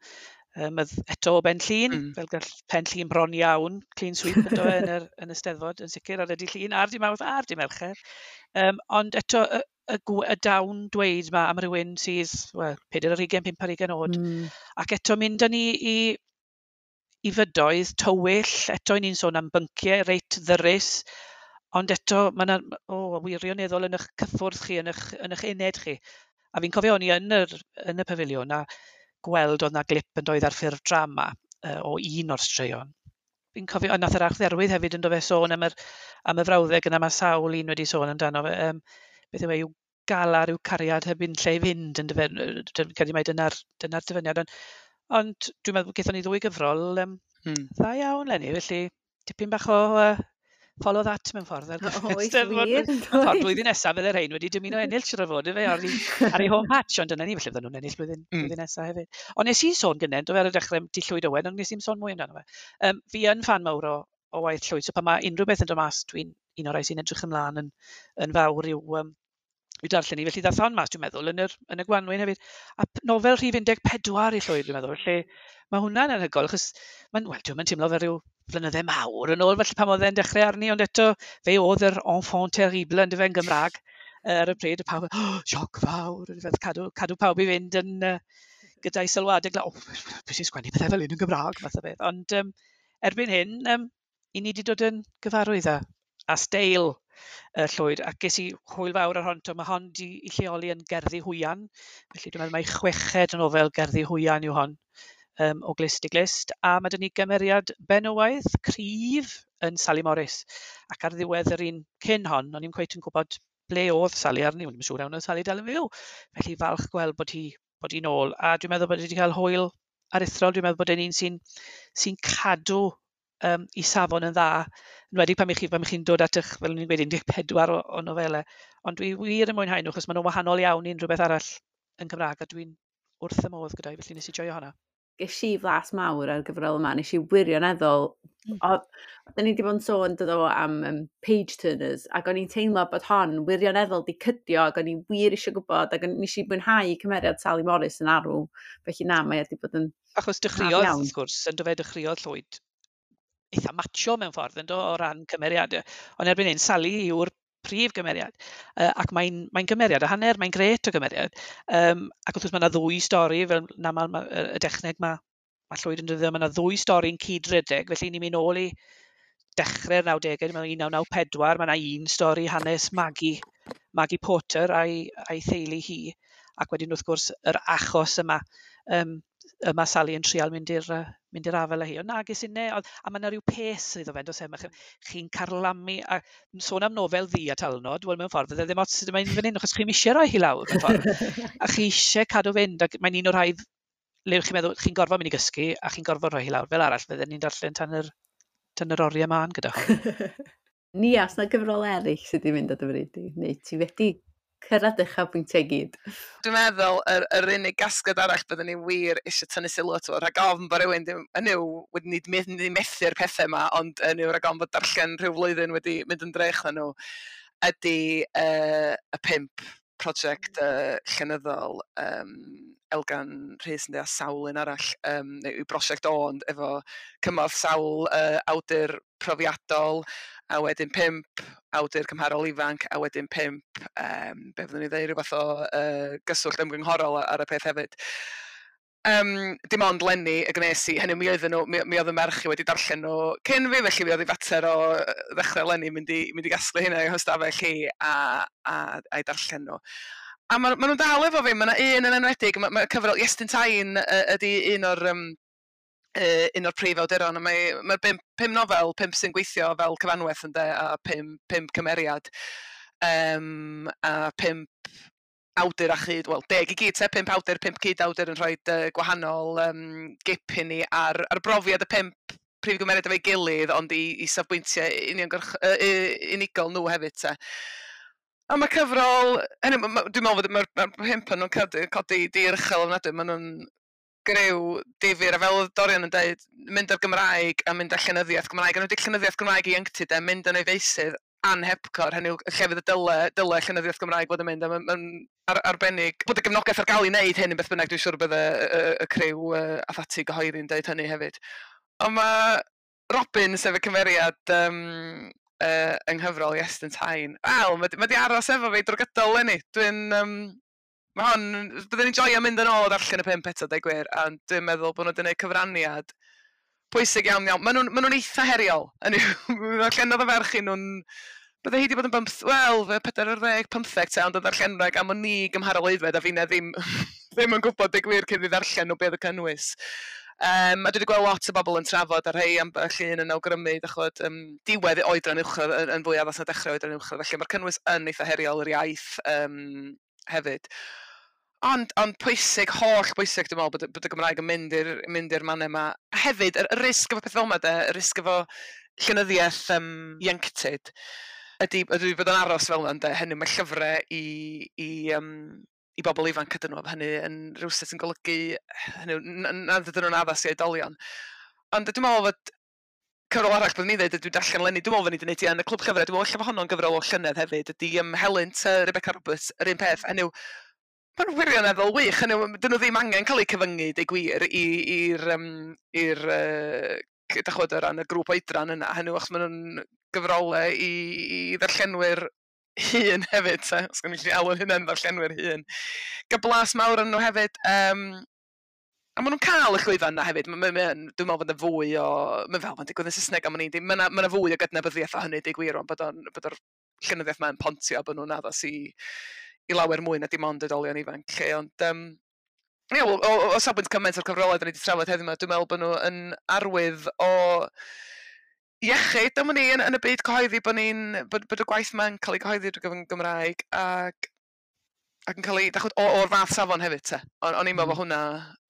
um, eto o Ben Llŷn, mm. fel gall Pen Llŷn bron iawn, clean sweep yn do yn, yr, yn y Steddfod, yn sicr, ar y dydd Llun, a'r dydd Mawrth, a'r dydd Mercher. Um, ond eto, y, y, y dawn dweud ma am rhywun sydd, wel, pedair ar hugain, pump ar hugain oed, mm. ac eto mynd â ni i, i fydoedd tywyll, eto i ni'n sôn am bynciau reit ddyrus, ond eto mae yna oh, wirioneddol yn eich cyffwrdd chi, yn eich, yn eich uned chi. A fi'n cofio o'n i yn, yr, yn y pafiliwn a gweld oedd na glip yn doedd ar ffurf drama uh, o un o'r straeon. Fi'n cofio, a nath yr Archdderwydd hefyd yn do fe sôn am, yr, am y frawddeg yna, mae sawl un wedi sôn amdano fe. Um, beth yw e, yw galar yw cariad heb un lle i fynd yn dyfe, dwi'n credu mai dyna'r dyna dyfyniad. Ond, ond dwi'n meddwl gaethon ni ddwy gyfrol um, hmm. dda iawn leni, felly tipyn bach o uh, follow that mewn ffordd. Ar Oes, wir. Ffordd blwyddyn nesaf fydde'r rhain wedi dymuno ennill siwr o fod, ife, ar ei, ar ei home patch, ond dyna ni, felly fydden nhw'n ennill blwyddyn, mm. blwyddyn nesaf hefyd. Ond nes i sôn gynnau, do fe ar y dechrau, di Llwyd Owen, ond nes i'n sôn mwy amdano fe. Um, fi yn fan mawr o, o waith Llwyd, so pan mae unrhyw beth yn dod mas, dwi'n un o'r rhai sy'n edrych ymlaen yn, yn fawr i'w, um, i'w darllen i. Felly ddath hon mas, dwi'n meddwl, yn, yr, yn y gwanwyn hefyd. A nofel rhif un deg pedwar i Llwyd, dwi'n meddwl, felly mae hwnna'n anhygoel, achos mae'n, wel, dwi'n teimlo fel rhyw flynydde mawr yn ôl, felly pan oedd e'n dechrau arni, ond eto fe oedd yr enfant terrible yn dyfe yn Gymraeg ar y pryd, y pawb, oh, sioc fawr, yn dyfe, cadw, cadw pawb i fynd yn uh, gyda'i sylwadau, oh, beth sy'n sgwennu pethau fel un yn Gymraeg, fath o beth. Ond um, erbyn hyn, um, i ni wedi dod yn gyfarwydd â, a steil uh, Llwyd, ac ges i hwyl fawr ar hon, to, mae hon di i lleoli yn Gerddi Hwyan, felly dwi'n meddwl mai chweched nofel Gerddi Hwyan yw hon. Um, o glust i glust, a mae dyn ni gymeriad benywaidd cryf yn Sally Morris, ac ar ddiwedd yr un cyn hon, o'n i'n cweit yn gwybod ble oedd Sally arni, o'n i'n siŵr iawn oedd Sally dal yn fyw, felly falch gweld bod hi bod hi'n ôl, a dwi'n meddwl bod hi wedi cael hwyl aruthrol, dwi'n meddwl bod e'n un sy'n sy'n cadw um, i safon yn dda, yn wedi pan chi, pan chi'n dod at eich, fel o'n i'n gweud, un deg pedwar o, o nofelau, ond dwi wir yn mwynhau nhw, achos maen nhw'n wahanol iawn i unrhyw beth arall yn Cymraeg, a dwi'n wrth y modd gyda'i, felly nes i joio honna. Ges i flas mawr ar gyfrol yma, nes i wirioneddol, mm. o, da ni wedi bod yn sôn dod o am um, page turners, ac o'n i'n teimlo bod hon wirioneddol di cydio, ac o'n i wir eisiau gwybod, ac o'n nes i mwynhau cymeriad Sally Morris yn arw, felly na, mae wedi bod yn... Achos dechreuodd, wrth gwrs, yn do fe dechreuodd Llwyd eitha macho mewn ffordd, yn do, o ran cymeriadau, ond erbyn hyn, Sally yw'r prif gymeriad, uh, ac mae'n mae gymeriad a hanner, mae'n gret o gymeriad, um, ac wrth gwrs mae yna ddwy stori, fel na ma, ma, y dechneg mae ma Llwyd yn dyddio, mae yna ddwy stori'n cydredeg, felly ni'n mynd nôl i Dechrau'r nawdegau, dwi'n meddwl un naw naw pedwar, mae yna un stori hanes Maggie, Maggie Porter a'i, a'i theulu hi, ac wedyn wrth gwrs yr achos yma, um, yma Sally yn trial mynd i'r uh, mynd i'r afael â hi. Ond na, ges i ne, oedd, a mae yna rhyw pace iddo fe, does e, mae chi'n carlamu, a sôn am nofel ddu a talnod, wel mewn ffordd, fydde ddim ots sut mae'n fan hyn, achos chi'n eisiau rhoi hi lawr mewn ffordd. A chi eisiau cadw fynd, ac mae'n un o'r rhai le chi'n meddwl, chi'n gorfod mynd i gysgu, a chi'n gorfod rhoi hi lawr. Fel arall, fydden ni'n darllen tan yr, tan yr oriau mân gyda hon. Nia, os na gyfrol eraill sydd wedi mynd ar dy fryd di, neu ti wedi cyrraedd uchafbwyntiau gyd? Dwi'n meddwl yr, yr unig gasgliad arall byddwn ni wir eisiau tynnu sylw ato fo, rhag ofn bod rhywun ddim, yn yw, wedi nid mynd i methu'r pethau yma, ond yn yw rhag ofn bod darllen rhyw flwyddyn wedi mynd yn drech na nhw, ydy uh, y pump prosiect uh, llenyddol um, Elgan Rhys yn a sawl un arall, um, neu yw brosiect o, ond efo cymorth sawl uh, awdur profiadol, a wedyn pump awdur cymharol ifanc, a wedyn pump, um, be fyddwn ni ddeud, rhywbeth o uh, gyswllt ymgynghorol ar y peth hefyd. Um, dim ond lenni y gnes i, hynny mi oedden nhw, mi, mi oedd y merch i wedi darllen nhw cyn fi, felly mi oedd i fater o ddechrau lenni mynd i, mynd i gasglu hynna i'w hystafell hi a, a, a'i darllen nhw. A ma, ma nhw'n dal efo fi, mae yna un yn enwedig, mae ma cyfrol Iestyn Tyne ydy un o'r, um, uh, un o'r prif awduron, a mae, mae'r pum, pum nofel, pump sy'n gweithio fel cyfanwaith ynde, a pum, pump cymeriad, um, a pump awdur a chyd, wel, deg i gyd, te, pump awdur, pump cyd awdur yn rhoi uh, gwahanol um, gip i ni ar, ar brofiad y pump prif gymeriad efo'i gilydd, ond i, i safbwyntiau uniongyrch, uh, unigol nhw hefyd, te. A mae cyfrol, hynny, ma, ma, dwi'n meddwl fod mae'r ma pump yn nhw'n codi, codi dir uchel ofnadwy, maen nhw'n griw difyr, a fel oedd Dorian yn dweud, mynd ar Gymraeg a mynd ar llenyddiaeth Gymraeg, a nhw wedi llenyddiaeth Gymraeg i ieuenctid, e, mynd yn ei feysydd anhepgor, hynny yw llefydd y dyle, dyle llenyddiaeth Gymraeg fod yn mynd, a mae'n ma ar, arbennig bod y gefnogaeth ar gael i wneud hyn yn beth bynnag, dwi'n siŵr bydde y, y, y criw uh, a ffati gyhoeddi'n dweud hynny hefyd. Ond mae Robin, sef y cymeriad um, uh, yng nghyfrol Iestyn Tyne, wel, mae ma di aros efo fi drwy gydol eleni. Dwi'n, um, mae hon, byddwn ni'n joio mynd yn ôl a darllen y pump eto, deud gwir, a dwi'n meddwl bod nhw wedi gwneud cyfraniad pwysig iawn iawn. Maen nhw'n ma nhw'n eitha heriol. Ddarllenodd y ferch i nhw'n... Bydde hi wedi bod yn bymth... Wel, pedair ar ddeg, pymtheg te, ond yn ddarllenwraig am o'n ni gymharol aeddfed, a finne ddim, ddim yn gwybod deud gwir cyn i ddarllen nhw beth y cynnwys. Um, a dwi wedi gweld lot o bobl yn trafod a rhai ambell un yn awgrymu, dach ch'mod, um, diwedd oedran uwchradd yn, yn fwy addas na dechrau oedran uwchradd. Felly mae'r cynnwys yn eitha heriol yr iaith um, hefyd. Ond, ond pwysig, holl bwysig, dwi'n meddwl, bod, bod y Gymraeg yn mynd i'r mynd i'r mannau yma. A hefyd, yr, y risg efo peth fel yma, de, y risg efo llenyddiaeth um, ieuenctid, ydy, ydy bod yn aros fel yna, ynde, hynny mae llyfrau i, i, um, i bobl ifanc ydyn nhw, hynny yn rhywsut yn golygu hynny, nad ydyn nhw'n addas i oedolion. Ond dwi'n meddwl fod cyfrol arall byddwn ni'n dweud, dwi'n darllen eleni, dwi'n meddwl fod ni wedi gwneud i yn y clwb llyfrau, dwi'n meddwl ella fod honno'n gyfrol o llynedd hefyd, ydy um, Helynt, uh, Rebecca Roberts, yr un peth, hynny yw, maen nhw'n wirioneddol wych, hynny yw, dyn nhw ddim angen cael eu cyfyngu, deud gwir, i'r, um, i'r uh, dach ch'mod, o ran y grŵp oedran yna, hynny yw, achos maen nhw'n gyfrolau i, i ddarllenwyr hŷn hefyd, te, os gwni gallu alw hynna'n ddarllenwyr hŷn. Gael blas mawr yn nhw hefyd, um, a maen nhw'n cael y llwyfan yna hefyd, ma, ma, ma, dwi'n meddwl bod yna fwy o, mae'n fel mae'n digwydd yn Saesneg am o'n i, mae yna ma fwy o gydnabyddiaeth o hynny, deud gwir, ond bod o'n, bod o'r llenyddiaeth ma'n pontio, bod nhw'n addas i, i lawer mwy na dim ond oedolion ifanc, lle, ond um, ie, o, o, o safbwynt cymaint o'r cyfrolau da ni wedi trafod heddiw yma, dwi'n meddwl bod nhw yn arwydd o iechyd am wn i yn, yn y byd cyhoeddi, bod ni'n bod, bod y gwaith ma'n cael ei gyhoeddi drwy gyfrwng Gymraeg ac ac yn cael ei, dach ch'mod, o'r fath safon hefyd te. O'n, o'n i'n meddwl bod hwnna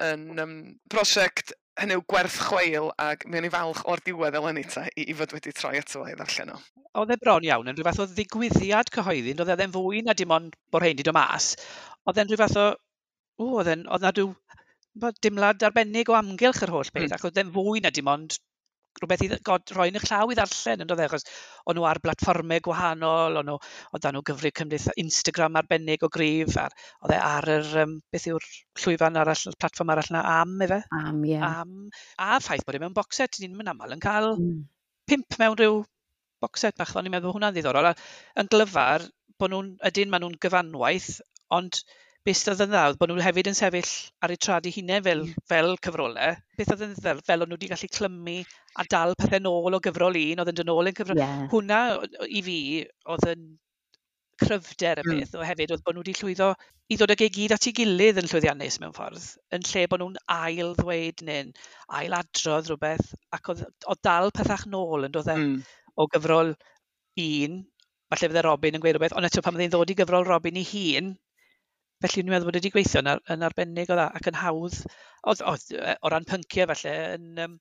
yn um, prosiect hynny yw gwerth chweil, ac mi o'n i falch o'r diwedd eleni te i, i fod wedi troi ato fo i ddarllen o. Oedd e bron iawn yn rhyw fath o ddigwyddiad cyhoeddi, oedd e ddim fwy na dim ond bod rhain wedi dod mas. Oedd e'n rhyw fath o, o, oedd e'n, oedd na rhyw dimlad arbennig o amgylch yr holl beth, mm. ac oedd e'n fwy na dim ond rhywbeth i god, rhoi yn eich llaw i ddarllen, yn dod e, achos o'n nhw ar blatfformau gwahanol, o'n nhw, oedd nhw gyfrif cymdeitha Instagram arbennig o gryf, ar, oedd e ar yr, um, beth yw'r llwyfan arall, y platfform arall yna, Am, efe? Am, ie. Yeah. Am, a ffaith bod e mewn box set, ni'n mynd aml yn cael mm. pump mewn rhyw box set bach, o'n i'n meddwl hwnna'n ddiddorol. A yn glyfar, bod nhw'n, ydyn, maen nhw'n gyfanwaith, ond Beth oedd yn dda, oedd bod nhw hefyd yn sefyll ar eu traed eu hunain fel, mm. fel cyfrolau. Beth oedd yn dda, fel o'n nhw wedi gallu clymu a dal pethau nôl o gyfrol un, oedd yn dod nôl yn cyfrol. Yeah. Hwna, i fi, oedd yn cryfder y Mm. peth, o hefyd oedd bod nhw wedi llwyddo i ddod ag e gyd at ei gilydd yn llwyddiannus mewn ffordd, yn lle bod nhw'n ail ddweud neu'n ail adrodd rhywbeth, ac oedd, oedd dal pethach nôl yn dod e Mm. o gyfrol un, falle fydde Robin yn gweud rhywbeth, ond eto pan fydde'n ddod i gyfrol Robin ei hun, felly dwi'n meddwl bod wedi gweithio yn, ar, yn arbennig o dda ac yn hawdd, oedd, oedd, yy, o ran pynciau falle, yn, um,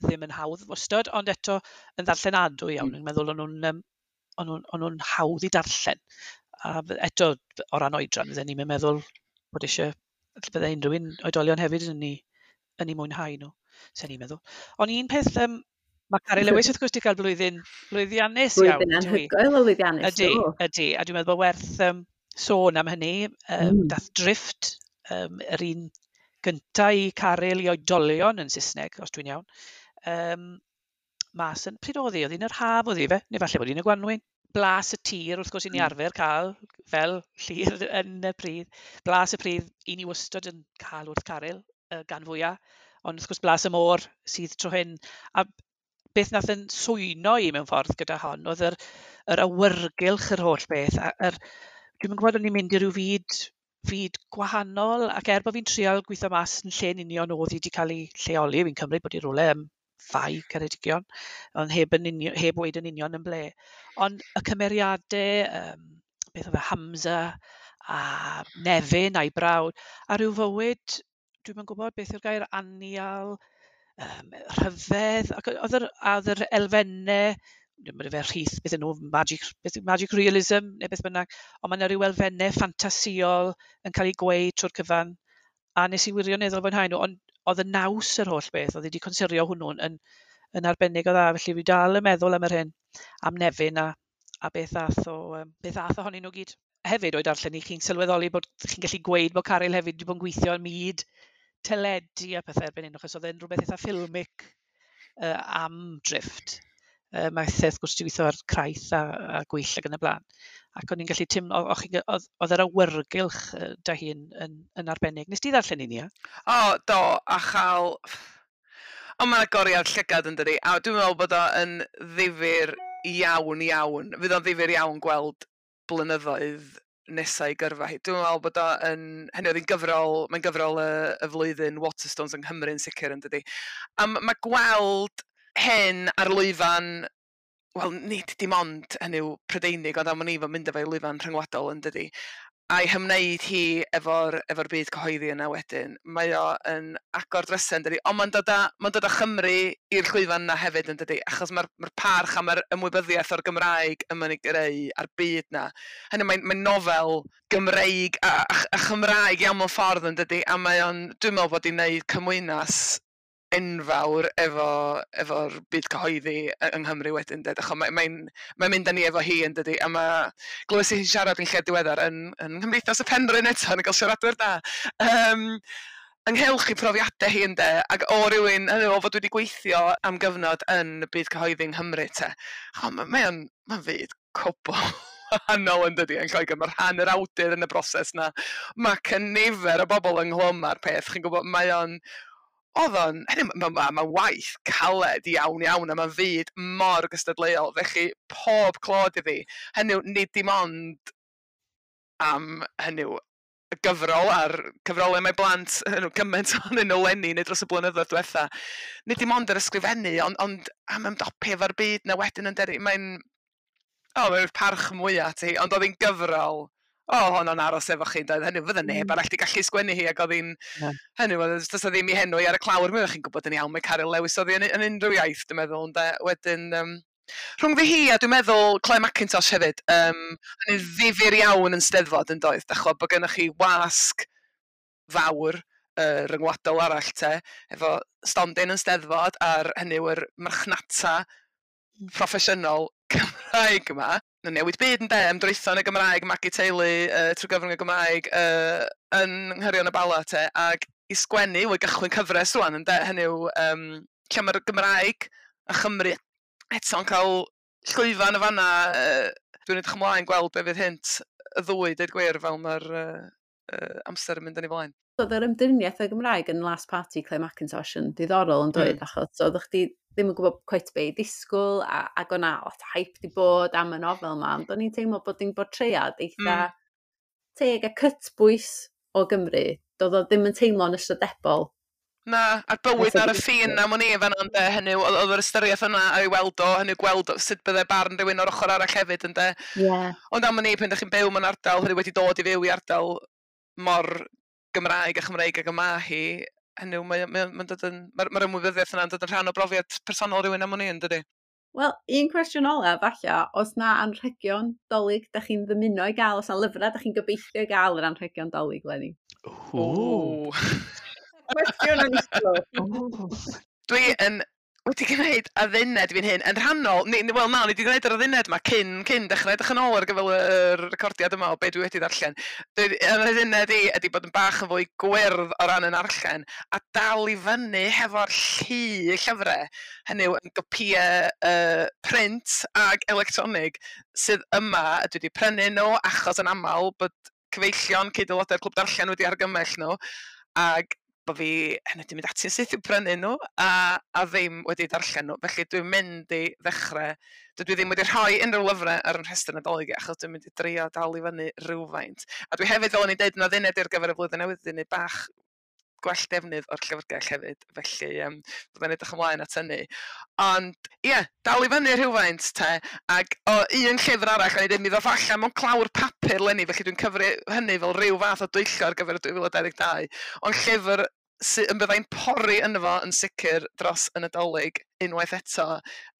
ddim yn hawdd wastod, ond eto yn ddarllenadwy iawn. Mm. Yn meddwl o'n nhw'n um, o'n nhw'n o'n nhw'n hawdd i darllen. A f- eto, o ran oedran, fydden ni'n meddwl bod eisiau, bydde unrhyw un oedolion hefyd yn ei, yn ei mwynhau nhw, sen ni'n meddwl. Ond un peth, um, mae Caryl Lewis wrth gwrs wedi cael blwyddyn lwyddiannus iawn, Blwyddyn yndyw hi? anhygoel o lwyddiannus, Ydy, do. ydy. A dwi'n meddwl bod werth um, sôn am hynny. Um, Mm. Dath Drift, um, yr un gynta i Caryl i oedolion yn Saesneg, os dwi'n iawn. Um, mas yn, pryd oedd hi? Oedd hi'n yr haf oedd hi fe? Neu falle bod hi'n y gwanwyn. Blas y tir, wrth gwrs, i ni Mm. arfer cael, fel Llyr yn y pridd. Blas y pridd, i ni wastad yn cael wrth Caryl, uh, gan fwyaf. Ond wrth gwrs, blas y môr sydd tro hyn. A beth nath yn swyno i mewn ffordd gyda hon, oedd yr, yr awyrgylch yr holl beth. A yr, dwi'm yn gwybod o'n i'n mynd i ryw fyd, fyd gwahanol, ac er bod fi'n trial gweithio mas yn lle'n union oedd hi wedi cael ei lleoli, fi'n cymryd bod hi rywle ym Fai Ceredigion, ond heb, yn union, heb weud yn union yn ble. Ond y cymeriadau, um, beth oedd e, Hamza a Nefyn a'i brawd, a rhyw fywyd, dwi'm yn gwybod beth yw'r gair, anial, um, rhyfedd, ac oedd yr, a oedd yr elfennau, dwi'n meddwl fe rhith, beth yn nhw, magic, beth yw magic realism, neu beth bynnag, ond mae yna rhyw elfennau ffantasïol yn cael ei gweud trwy'r cyfan, a nes i wirioneddol fwynhau nhw, ond oedd y naws yr holl beth, oedd wedi consurio hwnnw'n yn, yn arbennig o dda, felly fi dal yn meddwl am yr hyn, am Nefyn a, a beth ath o, um, beth ath ohonyn nhw gyd. Hefyd o'i darllen i chi'n sylweddoli bod chi'n gallu gweud bod Caryl hefyd wedi bod yn gweithio ym myd teledu a pethau erbyn hyn, achos oedd e'n rhywbeth eitha ffilmic uh, am Drift. Uh, mae eitha wrth gwrs wedi gweithio ar Craith a, a Gwyll ac yn y blaen. Ac o'n i'n gallu teimlo, o- o'ch chi'n- oedd oedd yr awyrgylch yy, da hi yn, yn, yn arbennig. Nes ti ddarllen un, ia? O, do, a chael... Ond mae'n agoriad llygad yn dydi, a dwi'n meddwl bod o yn ddifyr iawn iawn. Fydd o'n ddifyr iawn gweld blynyddoedd nesau gyrfa hi. Dwi'n meddwl bod o yn... Hynny oedd hi'n gyfrol, mae'n gyfrol y, y flwyddyn Waterstones yng Nghymru yn sicr yn dydi. A m- mae gweld hyn ar lwyfan, wel, nid dim ond hynny yw Prydeinig, ond am wn i fod mynd efo'i lwyfan rhyngwladol yn dydi. A'i hymwneud hi efo'r efo byd cyhoeddi yna wedyn, mae o yn agor drysau yn dydi, ond mae'n dod â, mae'n dod â Chymru i'r llwyfan yna hefyd yn dydi, achos mae'r mae'r parch a mae'r ymwybyddiaeth o'r Gymraeg yma'n ei greu a'r byd na. Hynny mae'n mae nofel Gymreig a, a, a Chymraeg iawn mewn ffordd yn dydi, a mae o'n, dwi'n meddwl bod hi'n neud cymwynas enfawr efo, efo'r byd cyhoeddi y- yng Nghymru wedyn, ded. Achos mae'n mae, mae'n mynd â ni efo hi yn dydi, a mae glywes i hi'n siarad yn lle diweddar yn, yn Nghymdeithas y Penrhyn eto, yn cael siaradwyr da. Um, ynghylch i profiadau hi ynde, ac o rywun, hynny yw, o fod wedi gweithio am gyfnod yn y byd cyhoeddi yng Nghymru te. O, mae mae o'n mae'n fyd cwbl wahanol yn dydi yn Lloegr. Mae rhan yr awdur yn y broses na. Mae cynifer o bobl ynghlwm â'r peth. Chi'n gwybod, mae o'n... Oedd o'n... Hynny, mae ma, ma waith caled iawn iawn a mae'n fyd mor gystadleuol. Felly, pob clod iddi. Hynny yw, nid dim ond am hynny yw, y gyfrol a'r cyfrolau mae blant, hynny yw, cymaint ohonyn nhw leni neu dros y blynyddoedd diwetha. Nid dim ond yr ysgrifennu, ond, ond am ymdopi efo'r byd na wedyn yn deri. Mae'n... O, mae'n parch mwyaf at hi, ond oedd hi'n gyfrol. O, honno'n aros efo chi, doedd hynny, fydde neb Mm. arall 'di gallu sgwennu hi, ac oedd hi'n... Na. Hynny, oedd does 'na ddim i henw i ar y clawr, mi oeddech chi'n gwybod yn iawn, mae Caryl Lewis oedd hi yn, yn unrhyw iaith, dwi'n meddwl, ynde. Wedyn, um, rhwng fi hi a dwi'n meddwl Clare Mackintosh hefyd, um, yn ddifyr iawn yn Steddfod yn doedd, dach ch'mod, bod gennych chi wasg fawr uh, ryngwladol arall te, efo stondin yn Steddfod a'r hynny yw'r marchnata proffesiynol Cymraeg yma. Yn newid byd ynde, ymdreitho yn y Gymraeg, magu teulu uh, trwy gyfrwng y Gymraeg uh, yn Nghyrion y Bala te, ac i sgwennu, i gychwyn cyfres rwan ynde, hynny yw, um, lle mae'r Gymraeg a Chymru eto'n cael llwyfan y fanna, uh, dwi'n edrych ymlaen gweld be fydd hynt y ddwy, deud gwir, fel mae'r uh, uh, amser yn mynd yn ei flaen. Oedd yr ymdriniaeth y Gymraeg yn Last Party Clare Mackintosh yn diddorol yn dweud, mm. achos oeddech chdi ddim yn gwybod cweit be i ddisgwyl, a, ac o'na lot o hype di bod am y nofel yma, ond o'n i'n teimlo bod hi'n bortread eitha mm. teg a cytbwys o Gymru. Doedd o ddim yn teimlo'n ystrydebol. Na, a'r bywyd ar y ffin am o'n i fan ynde, hynny, oedd yr ystyriaeth yna a'i weld o, hynny gweld sut bydde barn rhywun o'r ochr arall hefyd, ynde. Yeah. Ond am o'n i, pan ydych chi'n byw mewn ardal, hynny wedi dod i fyw i ardal mor Gymraeg a Chymreig ag yma hi, hynny, mae'n mae, mae dod yn, mae'r mae ymwybyddiaeth yna'n dod yn rhan o brofiad personol rhywun am o'n i, yn dydi? Wel, un cwestiwn ola, falle, os na anrhegion Dolig da chi'n ddymuno i gael, os na lyfrau da chi'n gobeithio i gael yr anrhegion Dolig, Lenny? Ww. Cwestiwn anhygoel. Dwi yn wedi gwneud adduned fi'n hyn, yn rhannol, ni, wel na, ni wedi gwneud yr adduned yma cyn, cyn dechrau edrych yn ôl ar gyfer yr recordiad yma o be dwi wedi darllen. Dwi, yr adduned i ydy bod yn bach yn fwy gwyrdd o ran yn arllen, a dal i fyny hefo'r llu llyfrau, hynny yw yn gopïau uh, print ag electronig sydd yma, dwi wedi prynu nhw achos yn aml bod cyfeillion cyd-aelodau'r clwb darllen wedi argymell nhw, ag bod fi hynny wedi mynd ati'n syth i'w prynu nhw a, a ddim wedi darllen nhw. Felly dwi'n mynd i ddechrau, dydw i ddim wedi rhoi unrhyw lyfrau ar yn rhestr Nadolig achos dwi'n mynd i drio dal i fyny rhywfaint. A dwi hefyd, fel o'n i'n deud, yn adduned ar gyfer y flwyddyn newydd, dwi'n neud bach gwell defnydd o'r llyfrgell hefyd, felly um, byddai'n edrych ymlaen at hynny. Ond ie, yeah, dal i fyny rhywfaint te, ac o un llyfr arall, o'n i dweud, mi ddoth allan mewn clawr papur leni, felly dwi'n cyfri hynny fel rhyw fath o dwyllo ar gyfer y dwy fil a dau ddeg dau. Ond llyfr sydd yn byddai'n pori yno fo yn sicr dros y Nadolig unwaith eto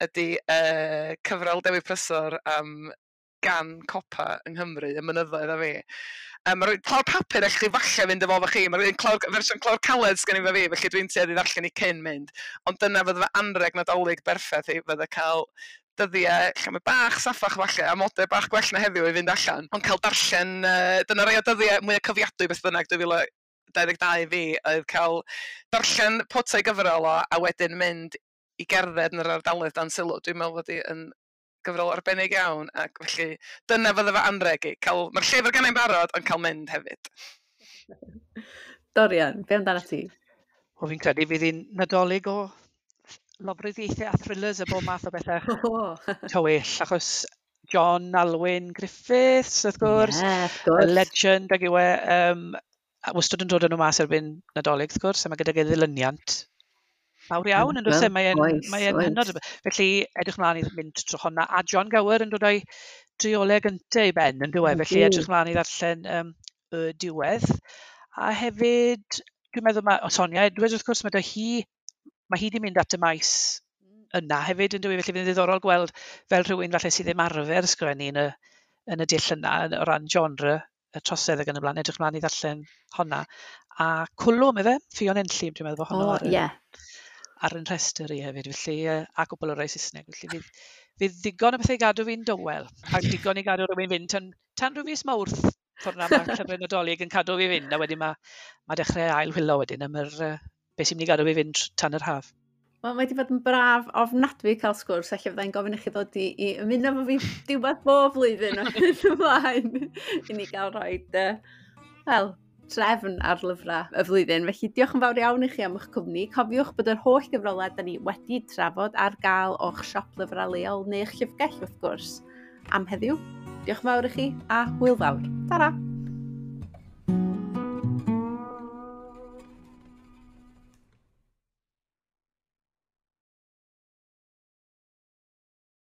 ydy uh, cyfrol Dewi Prysor am gan copa yng Nghymru, y mynyddoedd a fi. Um, Mae'r clawr papur eich chi falle fynd efo fo chi, mae'r clawr, fersiwn clawr caled sgen i fo fi, felly dwi'n tueddu ddarllen i cyn mynd. Ond dyna fydde fy anreg Nadolig berffaith i, fydde cael dyddiau lle mae bach saffach falle, a modau bach gwell na heddiw i fynd allan. Ond cael darllen, uh, dyna rai o dyddiau mwyaf cofiadwy beth bynnag dwy fil a dau ddeg dau fi, oedd cael darllen potau gyfrol o, a wedyn mynd i gerdded yn yr ardaloedd dan sylw. Dwi'n meddwl fod i yn gyfrol arbennig iawn, ac felly dyna fydde fy anreg i. Cael, mae'r llyfr gennai'n barod, ond cael mynd hefyd. Dorian, be amdano ti? Wel, fi'n credu fydd hi'n Nadolig o lofruddiaethau a thrillers a bob math o bethau oh. tywyll, achos John Alwyn Griffiths, wrth gwrs, yeah, wrth gwrs. Y legend ag yw e, um, a wastad yn dod yn nhw mas erbyn Nadolig, wrth gwrs, a mae gydag ei ddilyniant mawr iawn, yn dod e, mae'n mae hynod. Felly, edrych mlaen i mynd trwy honna. A John Gower yn dod o'i drioleg gyntaf i ben, yn dyw e, felly edrych mlaen i ddarllen um, y diwedd. A hefyd, dwi'n meddwl, mae, o Sonia Edwards, wrth gwrs, mae hi, mae hi wedi mynd at y maes yna hefyd, yn dyw e, felly fydd yn ddiddorol gweld fel rhywun falle sydd ddim arfer ysgrifennu yn y, yn y dull yna, o ran genre, y trosedd ac yn y blaen, edrych mlaen i ddarllen honna. A Cwlwm, efe, Ffion Enlli, dwi'n meddwl bod honno oh, ar, yeah. ar yn rhestr i hefyd, felly, a gwbl o rai Saesneg. Felly fydd, fydd ddigon o bethau i gadw fi'n dywel, a digon i gadw rhywun fynd tan, tan rhyw fis Mawrth, ffordd na mae llyfrau Nadolig yn cadw fi fynd, a wedyn mae, mae dechrau ail wylo wedyn am yr, uh, beth sy'n mynd i gadw fi fynd tan yr haf. Wel, mae wedi bod yn braf ofnadwy cael sgwrs, felly fyddai'n gofyn i chi ddod i, i ymuno efo fi diwedd bob blwyddyn o hyn ymlaen i ni gael rhoi, uh, wel, trefn ar lyfrau y flwyddyn. Felly diolch yn fawr iawn i chi am eich cwmni. Cofiwch bod yr holl gyfrolau da ni wedi trafod ar gael o'ch siop lyfrau leol neu'ch llyfrgell wrth gwrs am heddiw. Diolch yn fawr i chi a hwyl fawr. Tara!